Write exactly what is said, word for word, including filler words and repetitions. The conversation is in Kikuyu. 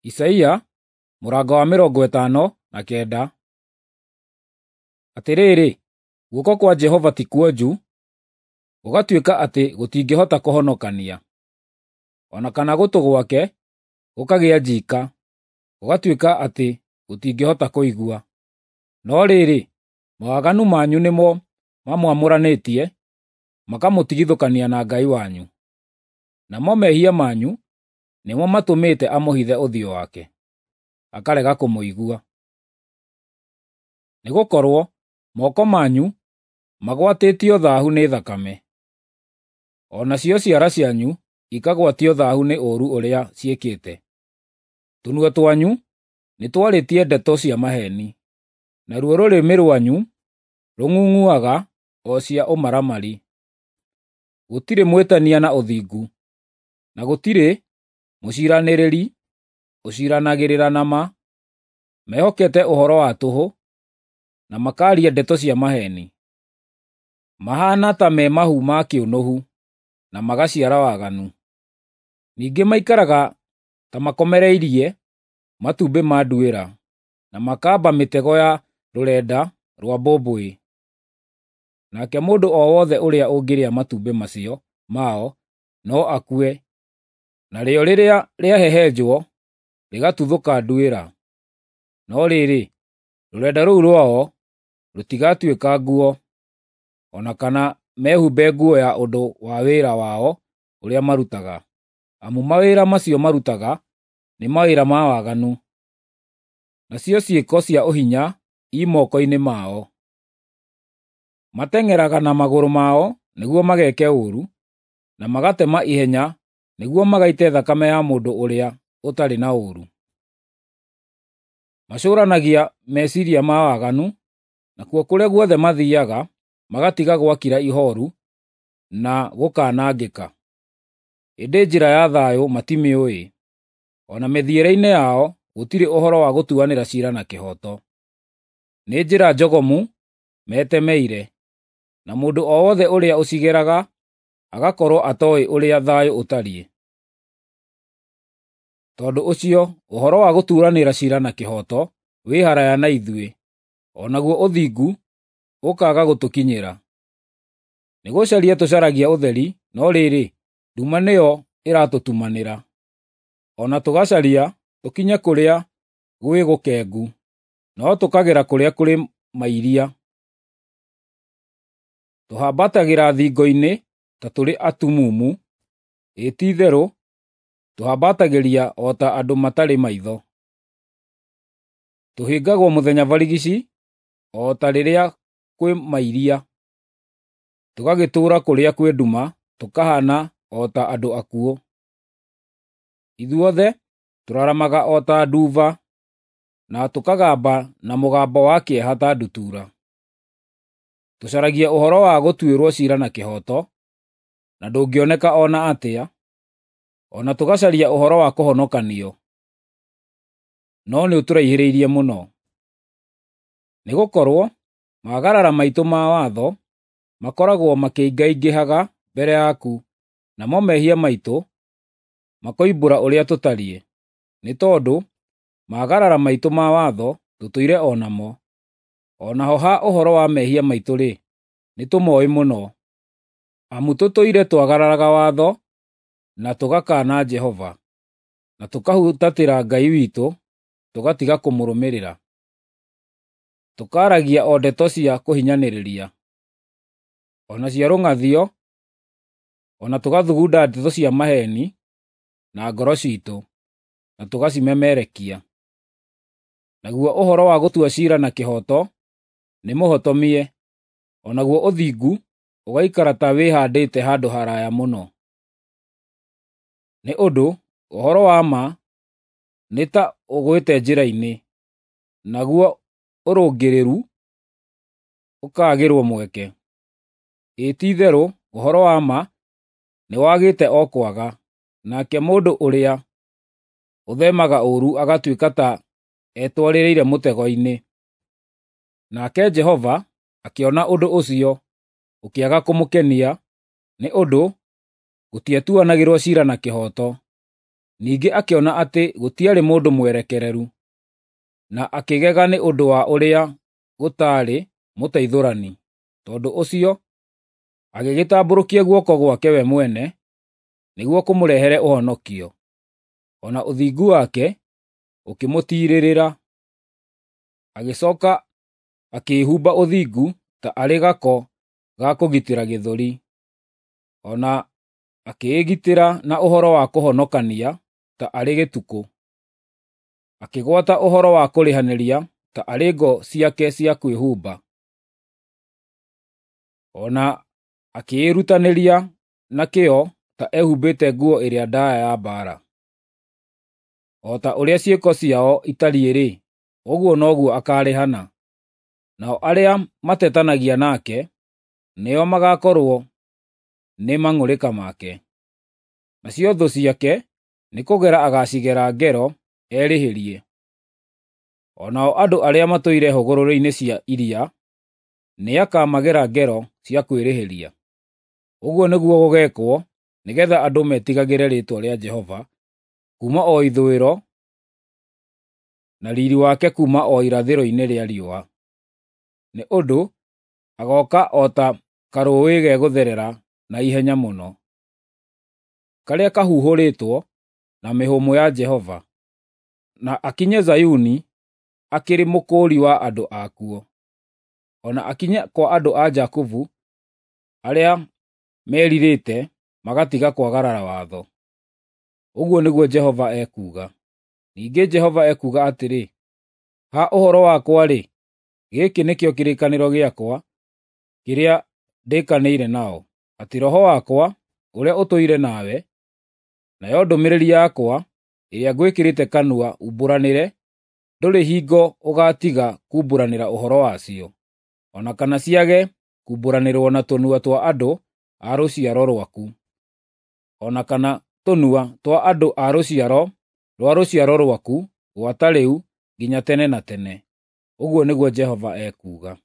Isaia mũrango wa mĩrongo ĩtano na kenda. Atĩrĩrĩ, guoko kwa Jehova ti kuonju, gũgatuĩka atĩ gũtingĩhota kũhonokania, o na kana gũtũ gwake gũkagĩa njiika, gũgatuĩka atĩ gũtingĩhota kũigua. No rĩrĩ, mawaganu manyu nĩmo mamwamũranĩtie, makamũtigithũkania na Ngai wanyu. Namo mehia manyu nĩmo matũmĩte amũhithe ũthiũ wake, akarega kũmũigua. Nĩgũkorwo moko manyu magwatĩtio thaahu nĩ thakame, o nacio ciara cianyu ikagwatio thaahu nĩ ũũru ũrĩa ciĩkĩte. Tũnua twanyu nĩtwarĩtie ndeto cia maheeni, naruo rũrĩmĩ rwanyu rũng'ung'uaga o cia ũmaramari. Gũtirĩ mwĩtania na ũthingu, na gũtirĩ mũciiranĩrĩri ũciiranagĩrĩra na ma. Mehokete ũhoro wa tũhũ, na makaaria ndeto cia maheeni. Mahaana ta me mahu ma kĩũnũhu, na magaciara waganu. Ningĩ maikaraga ta makomereirie matumbĩ ma nduĩra, na makamba mĩtego ya rũrenda rwa mbũmbũĩ. Nake mũndũ o wothe ũrĩa ũngĩrĩa matumbĩ macio mao no akue, narĩo rĩrĩa rĩahehenjwo rĩgatuthũka nduĩra. No rĩrĩ, rũrenda rũu rwao rũtigatuĩka nguo, o na kana mehumbe nguo ya ũndũ wa wĩra wao ũrĩa marutaga, amu mawĩra macio marutaga nĩ mawĩra ma waganu, nacio ciĩko cia ũhinya i moko-inĩ mao. Mateng'eraga na magũrũ mao nĩguo mageke ũũru, na magatema ihenya nĩguo magaite thakame ya mũndũ ũrĩa ũtarĩ na ũũru. Macũranagia meciiria ma waganu, nakuo kũrĩa guothe mathiiaga magatiga gwakira ihooru na gũkaanangĩka. Ĩndĩ njĩra ya thayũ matimĩũĩ, o na mĩthiĩre-inĩ yao gũtirĩ ũhoro wa gũtuanĩra ciira na kĩhooto. Nĩ njĩra njogomu metemeire, na mũndũ o wothe ũrĩa ũcigeraga agakorwo atooĩ ũrĩa thayũ ũtariĩ. Tondũ ũcio ũhoro wa gũtuanĩra ciira na kĩhooto wĩ haraaya na ithuĩ, o naguo ũthingu ũkaaga gũtũkinyĩra. Nĩgũcaria tũcaragia ũtheri, no rĩrĩ, nduma nĩyo ĩratũtumanĩra. O na tũgacaria tũkinye kũrĩa gwĩ gũkengu, no tũkagera kũrĩa kũrĩ mairia. Tũhambatagĩra thingo-inĩ ta tũrĩ atumumu, ĩ ti-itherũ tũhambatagĩria o ta andũ matarĩ maitho. Tũhĩngagwo mũthenya barigici o ta rĩrĩa kwĩ mairia, tũgagĩtũũra kũrĩa kwĩ nduma tũkahaana o ta andũ akuũ. Ithuothe tũraramaga o ta nduba, na tũkagamba na mũgambo wa kĩeha ta ndutura. Tũcaragia ũhoro wa gũtuĩrwo ciira na kĩhooto, na ndũngĩoneka o na atĩa, o na tũgacaria ũhoro wa kũhonokanio, no nĩũtũraihĩrĩirie mũno. Nĩgũkorwo maagarara maitũ ma watho makoragwo makĩingaingĩhaga mbere yaku, namo mehia maitũ makoimbũra ũrĩa tũtariĩ, nĩ tondũ maagarara maitũ ma watho tũtũire o namo. O naho ha ũhoro wa mehia maitũ-rĩ, nĩtũmooĩ mũno. Amu tũtũire twagararaga watho, na tũgakaana Jehova, na tũkahutatĩra Ngai witũ, tũgatiga kũmũrũmĩrĩra. Tũkaaragia o ndeto cia kũhinyanĩrĩria, o na cia rũng'athio, o na tũgathugunda ndeto cia maheeni na ngoro ciitũ, na tũgacimemerekia. Naguo ũhoro wa gũtua ciira na kĩhooto nĩmũhotomie, o naguo ũthingu ũgaikara ta wĩhaandĩte handũ haraaya mũno. Nĩ ũndũ ũhoro wa ma nĩ ta ũgwĩte njĩra-inĩ, naguo ũrũngĩrĩru ũkaagĩrwo mweke. Ĩ ti-itherũ ũhoro wa ma nĩwagĩte o kwaga, nake mũndũ ũrĩa ũtheemaga ũũru agatuĩka ta etwarĩrĩire mũtego-inĩ. Nake Jehova akĩona ũndũ ũcio ũkĩaga kũmũkenia, nĩ ũndũ gũtiatuanagĩrwo ciira na kĩhooto. Ningĩ akĩona atĩ gũtiarĩ mũndũ mwerekereru, na akĩgega nĩ ũndũ wa ũrĩa gũtaarĩ mũteithũrani. Tondũ ũcio agĩgĩtambũrũkia guoko gwake we mwene nĩguo kũmũrehere ũhonokio, o na ũthingu wake ũkĩmũtiirĩrĩra. Agĩcoka akĩĩhumba ũthingu ta arĩ gako ga kũgitĩra gĩthũri, o na akĩĩgitĩra na ũhoro wa kũhonokania ta arĩ gĩtukũ. Akĩgwata ũhoro wa kũrĩhanĩria ta arĩ ngo ciake cia kwĩhumba, o na akĩĩrutanĩria na kĩyo ta ehumbĩte nguo ĩrĩa ndaaya ya mbaara. O ta ũrĩa ciĩko ciao itariĩ-rĩ, ũguo noguo akaarĩhana, nao arĩa matetanagia nake nĩo magaakorwo nĩ mang'ũrĩka make. Nacio thũ ciake nĩkũgera agaacigera ngero erĩhĩrie. O nao andũ arĩa matũire hũgũrũrũ-inĩ cia iria nĩakamagera ngero cia kwĩrĩhĩria. Ũguo nĩguo gũgeekwo nĩgeetha andũ metigagĩre rĩĩtwa rĩa Jehova kuuma o ithũĩro, na riiri wake kuuma o irathĩro-inĩ rĩa riũa. Nĩ ũndũ agooka o ta karũũĩ gegũtherera na ihenya mũno, karĩa kahuhũrĩtwo na mĩhũmũ ya Jehova, na akinye Zayuni akĩrĩ mũkũũri wa andũ akuo, o na akinye kwa andũ a Jakubu arĩa merirĩte magatiga kwagarara watho. Ũguo nĩguo Jehova ekuuga. Ningĩ Jehova ekuuga atĩrĩ, “Ha ũhoro wakwa-rĩ, gĩkĩ nĩkĩo kĩrĩkanĩro gĩakwa kĩrĩa ndĩkanĩire nao, atĩ Roho wakwa ũrĩa ũtũire nawe, nayo ndũmĩrĩri yakwa ĩrĩa ngwĩkĩrĩte kanua umbũranĩre, ndũrĩ hingo ũgaatiga kuumbũranĩra ũhoro wacio, o na kana ciage kuumbũranĩrwo na tũnua twa andũ a rũciaro rwaku, o na kana tũnua twa andũ a rũciaro rwa rũciaro rwaku gwata rĩu nginya tene na tene.” Ũguo nĩguo Jehova ekuuga.